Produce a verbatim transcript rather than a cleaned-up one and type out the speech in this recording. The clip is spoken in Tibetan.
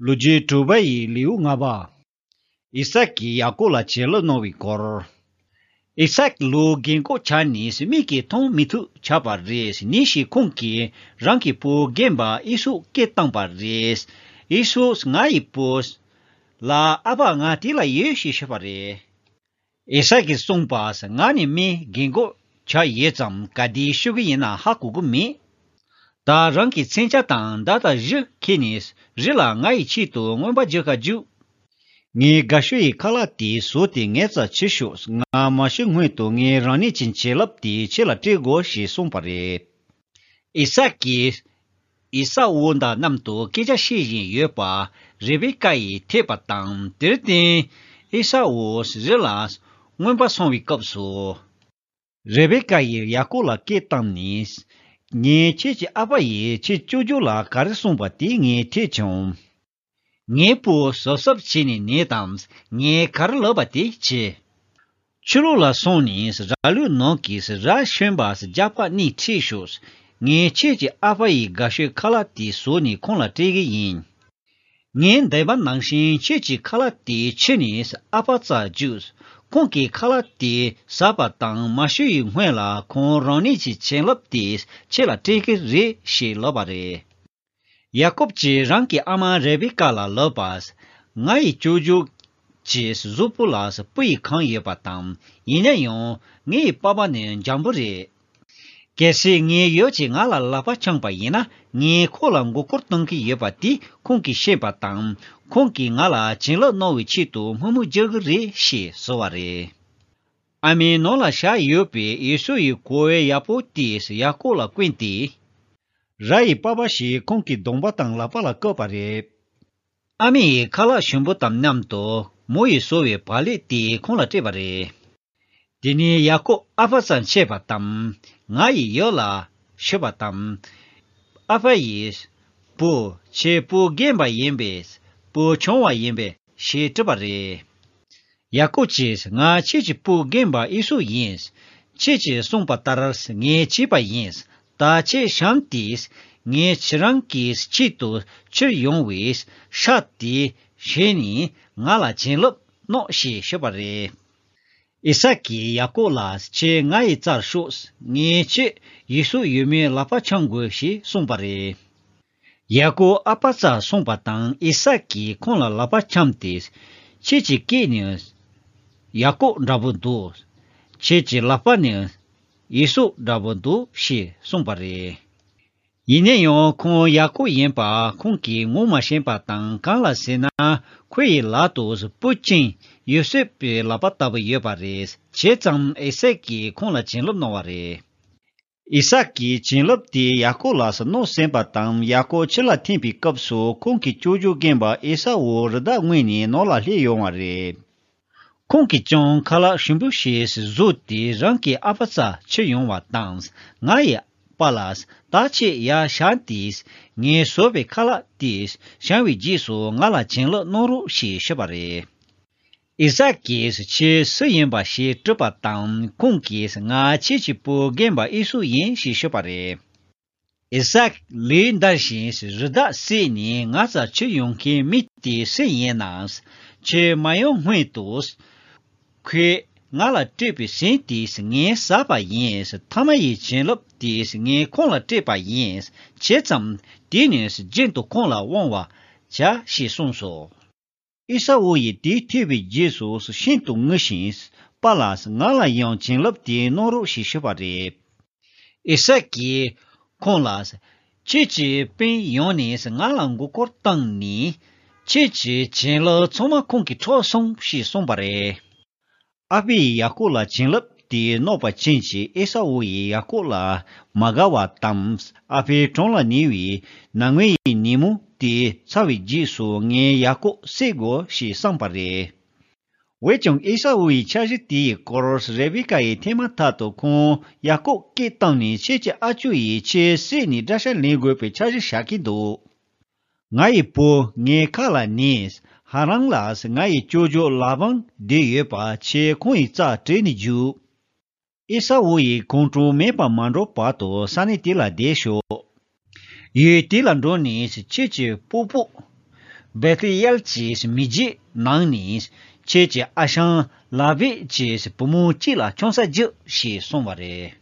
ལོ་རྒྱུས་དྲུག་པ་ཡི་ལེའུ་ལྔ་པ། ཨི་སཱག་གིས་ཡ་ཀོབ་ལ་བྱིན་རླབས་གནང་བའི་སྐོར། ཨི་སཱག་ལོ་རྒན་གོག་ཆགས་ནས་མིག་གིས་མཐོང་མི་ཐུབ་ཆགས་པ་རེད། ཉིན་ཞིག་ཁོང་གིས་རང་གི་བུ་རྒན་པ་ཨེ་སའུ་སྐད་བཏང་པ་རེད། ཨེ་སའུ་ང་ཡི་བུ། ལ་ཨ་ཕ་ང་དེ་ལ་ཡོད་ཞེས་ཤོད་པ་རེད། ཨི་སཱག་གིས་གསུངས་པ། ང་ནི་མི་རྒན་གོག་ཆགས་ཡོད་ཙང་ག་དུས་ཤི་གི་ཡིན་ན་ཧ་གོ་གི་མེད། ད་རང་གི་མཚོན་ཆ་དང་མདའ་དང་གཞུ་ཁྱེར་ནས་རི་ལ་ང་ཡི་ཆེད་དུ་རྔོན་པ་རྒྱག་ག་རྒྱུགས། ངའི་དགའ་ཤོས་ཡི་ཁ་ལག་དེ་བཟོས་ཏེ་ངའི་རྩར་ཁྱེར་ཤོག་ང་མ་ཤི་སྔོན་དུ་ངའི་རང་ཉིད་ཀྱི་བྱིན་རླབས་དེ་ཁྱེད་ལ་སྤྲད་དགོས་ཞེས་གསུངས་པ་རེད། ཨི་སཱག་གིས་ཨེ་སའུ་དང་མཉམ་དུ་སྐད་ཆ་བཤད་བཞིན་ཡོད་པ་རེ་བེ་ཀ་ཡིས་ཐོས་པ་དང་། དེར་བརྟེན་ཨེ་སའུ་རི་ལ་རྔོན་པར་སོང་བའི་སྐབས་སུ། རེ་བེ་ཀ་ཡིས་ཡ་ཀོབ་ལ་སྐད་བཏང་ནས། ངས་ཁྱེད་ཀྱི་ཨ་ཕ་ཡིས་ཁྱེད་སྐྱོབ་རྒྱུ་ལ་ག་རེ་གསུངས་པ་དེ་ངས་ཐོས་བྱུང་། ངའི་བུ་གཟབ་གཟབ་བྱས་ནས་ཉལ་དང་། ངས་ག་རེ་ལབ་པ་དེ་བྱེད། ཕྱི་ལོགས་ལ་སོང་ནས་ར་ལུག་ནང་གི་ར་ཞོན་པ་རྒྱགས་པ་གཉིས་ཁྲིད་ཤོག་ངས་ཁྱེད་ཀྱི་ཨ་ཕ་ཡི་དགའ་ཤོས་ཁ་ལག་དེ་བཟོས་ནས་ཁོང་ལ་སྤྲད་གི་ཡིན། ངས་འདས་པ་ནང་བཞིན་ཁྱེད་ཀྱི་ཁ་ལག་དེ་ཁྱེར་ནས་ཨ་ཕ་རྩར་རྒྱུགས། ཁོང་གིས་ཁ་ལག་དེ་ཟ་བ་དང་མ་ཤི་བའི་སྔོན་ལ་ཁོང་རང་ཉིད་ཀྱི་བྱིན་རླབས་དེ་ཁྱེད་ལ་སྤྲད་གི་རེད་ཞེས་ལབ་པ་རེད། ཡ་ཀོབ་ཀྱིས་རང་གི་ཨ་མ་རེ་བེ་ཀ་ལ་ལབ་པ། ང་ཡི་སྐྱོབ་རྒྱུ་གྱི་གཟུགས་པོ་ལ་སྤུ་ཡིས་གང་ཡོད་པ་དང་། ཡིན་ན་ཡང་ངའི་པ་ཕ་ནི་འཇམ་པོ་རེད། གལ་སྲིད་ངའི་ཡབ་ཀྱིས་ང་ལ་ལག་པ་འཆང་པ་ཡིན་ན། ངས་ཁོ་ལ་མགོ་སྐོར་གཏོང་གི་ཡོད་པ་དེ་ཁོང་གིས་ཤེས་པ་དང་། ཁོང་གིས་ང་ལ་བྱིན་རླབས་གནང་བའི་ཆེད་དུ་དམོད་མོ་རྒྱག་གི་རེད་ཞེས་ཟེར་བ་རེད། ཨ་མའི་ནང་ལ་བཞག་ཡོད་པའི་ཨེ་སའུ་ཡི་གོས་ཡག་པོ་དེ་ཡ་ཀོབ་ལ་བསྐོན་ཏེ། ར་ཡི་པ་ཕ་ཞིག་ཁོང་གི་གདོང་པ་དང་ལག་པ་ལ་བཀོད་པ་རེད། ཨ་མ་ཡིས་ཁ་ལག་ཞིམ་པོ་དང་མཉམ་དུ་མོ་ཡིས་བཟོས་པའི་བག་ལེབ་དེ་ཁོང་ལ་སྤྲད་པ་རེད། དེ་ནས་ཡ་ཀོབ་ཨ་ཕ་རྩར་ཆས་པ་དང་། ང་ཡི་ཡབ་ལ་ཤོད་པ་དང་། ཨ་ཕ་ཡིས། བུ། ཁྱེད་བུ་རྒན་པ་ཡིན་པས། བུ་ཆུང་བ་ཡིན་པས་ཞེས་དྲིས་པ་རེད། ཡ་ཀོབ་ཀྱིས། ང་ཁྱེད་ཀྱི་བུ་རྒན་པ་ཨེ་སའུ་ཡིན། ཁྱེད་ཀྱིས་གསུངས་པ་ལྟར་ངས་བྱས་པ་ཡིན། ད་ཁྱེད་བཞེངས་ཏེ། ངས་ཁྱེད་རང་གི་ཆེད་དུ་ཁྱེར་ཡོང་བའི་ཤ་དེ་ཞོན་ནས་ང་ལ་བྱིན་རླབས་གནང་ཞེས་ཤོད་པ་རེད། ཨི་སཱག་གིས་ཡ་ཀོབ་ལ། ཁྱེད་ང་ཡི་རྩར་ཤོག་ངས་ཁྱེད་ཡུལ་སྲོལ་ཡོད་མེད་ལག་པ་འཆང་དགོས་ཞེས་གསུངས་པ་རེད། ཡ་ཀོབ་ཨ་ཕ་རྩར་སོང་བ་དང་ཨི་སཱག་གིས་ཁོང་ལ་ལག་པ་འཆང་སྟེ། ཁྱེད་ཀྱི་སྐད་ནི་ཡ་ཀོབ་འདྲ་པོ་འདུག་ཁྱེད་ཀྱི་ལག་པ་ནི་ཨེ་སའུ་འདྲ་པོ་འདུག་ཞེས་གསུངས་པ་རེད། ཡིན་ན་ཡང་ཁོང་ཡ་ཀོབ་ཡིན་པ་ཁོང་གིས་ངོ་མ་ཤེས་པ་དང་། གང་ལ་ཟེར་ན་ཁོ་ཡི་ལག་ཏུ་སྤུ་ཅན་ཡོ་སེབ་པའི་ལག་པ་ལྟ་བུ་ཡོད་པ་རེད། བྱས་ཙང་ཨི་སཱག་གིས་ཁོང་ལ་བྱིན་རླབས་གནང་བ་རེད། ཨི་སཱག་གིས་བྱིན་རླབས་དེ་ཡ་ཀོབ་ལ་གནང་ཟིན་པ་དང་། ཡ་ཀོབ་ཕྱི་ལ་འཐེན་པའི་སྐབས་སུ་ཁོང་གི་ཅོ་ཅོ་རྒན་པ་ཨེ་ས་འུ་རི་དྭགས་རྔོན་ནས་ནང་ལ་སླེབས་ཡོང་བ་རེད། ཁོང་གིས་ཀྱང་ཁ་ལག་ཞིམ་པོ་ཞིག་བཟོས་ཏེ་རང་གི་ཨ་ཕ་རྩར་ཁྱེར་ཡོང་བ་དང་། ང་ཡི་པཱ་ལགས། ད་ཁྱེད་ཡར་བཞེངས་ཏེ། ངས་བཟོས་པའི་ཁ་ལག་དེ་བཞེངས་པའི་རྗེས་སུ་ང་ལ་བྱིན་རླབས་གནང་རོགས་ཞེས་ཞུས་པ་རེད། ཨི་སཱག་གིས་ཁྱེད་སུ་ཡིན་པ་ཞེས་དྲིས་པ་དང་། ཁོང་གིས་ང་ཁྱེད་ཀྱི་བུ་རྒན་པ་ཨེ་སའུ་ཡིན་ཞེས་ཤོད་པ་རེད། ཨི་སཱག་ལུས་འདར་ཞིང་རི་དྭགས་བསད་ནས་ང་རྩར་ཁྱེར་ཡོང་མཁན་མི་དེ་སུ་ཡིན་ནམ། ཁྱེད་མ་ཡོང་སྔོན་དུ། ཁོས་ང་ལ་སྤྲད་པའི་ཟན་དེ་ངས་ཟ་བ་ཡིན། ཐ་མ་ཡི་བྱིན་རླབས་དེ་ངས་ཁོང་ལ་སྤྲད་པ་ཡིན། བྱས་ཙང་དེ་ནས་རྒྱུན་དུ་ཁོང་ལ་དབང་བར་བྱ་ཞེས་གསུངས་སོ། ཨེ་ས་འུ་ཡིས་དེ་ཐོས་པའི་རྗེས་སུ་ཤིན་ཏུ་ངུ་ཞིང་། པཱ་ལགས། ང་ལ་ཡང་བྱིན་རླབས་དེ་གནང་རོགས་ཞེས་ཞུས་པ་རེད། ཨི་སཱག་གིས་ཁོང་ལ། ཁྱེད་ཀྱི་སྤུན་ཡོང་ནས་ང་ལ་མགོ་སྐོར་བཏང་ནས། ཁྱེད་ཀྱི་བྱིན་རླབས་ཚང་མ་ཁོང་གིས་འཕྲོག་སོང་ཞེས་གསུངས་པ་རེད། ཨ་ཕས་ཡ་ཀོབ་ལ་བྱིན་རླབས་དེ་གནང་བ་ཅན་གྱི་ཨེ་ས་འུ་ཡིས་ཡ་ཀོབ་ལ་མ་དགའ་བ་དང་། ཨ་ཕའི་གྲོང་ལ་ཉལ་བའི་ནམ་ངའི་ཉིན་མོ་དེ་ཚར་བའི་རྗེས་སུ་ངས་ཡ་ཀོབ་བསད་དགོས་ཞེས་བསམས་པ་རེད། འོན་ཀྱང་ཨེ་ས་འུ་ཡི་འཆར་གཞི་དེའི་སྐོར་རེ་བེ་ཀ་ཡིས་ཐོས་མ་ཐག་ཏུ་ཁོང་ཡ་ཀོབ་སྐད་བཏང་ནས། ཁྱེད་ཀྱི་ཨ་ཅོ་ཡིས་ཁྱེད་བསད་ནས་དགྲ་ཤ་ལེན་དགོས་པའི་འཆར་གཞི་བཞག་གི་འདུག་ང་ཡི་བུ། ངའི་ཁ་ལ་ཉན། ཧ་རན་ལ་ང་ཡི་ཅོ་ཅོ་ལ་བན་བསྡད་ཡོད་པ་ཁྱེད་ཁོང་ཡི་རྩར་བྲོས་ནས་རྒྱུགས། ཨེ་ས་འུ་ཡི་ཁོང་ཁྲོ་མེད་པར་མ་འགྲོ་བར་དུ་ས་གནས་དེ་ལ་བསྡད་ཤོག་ཡུལ་དེ་ལ་འགྲོ་ནས་ཁྱེད་ཀྱི་སྤོ་སྤོ་ བེ་ཐི་ཡལ་གྱི་མི་རྒྱུད་ནང་ནས་ཁྱེད་ཀྱི་ཨ་ཞང་ལ་བི་གྱི་བུ་མོ་གཅིག་ལ་ཆང་ས་རྒྱུ་ཞེས་གསུངས་པ་རེད།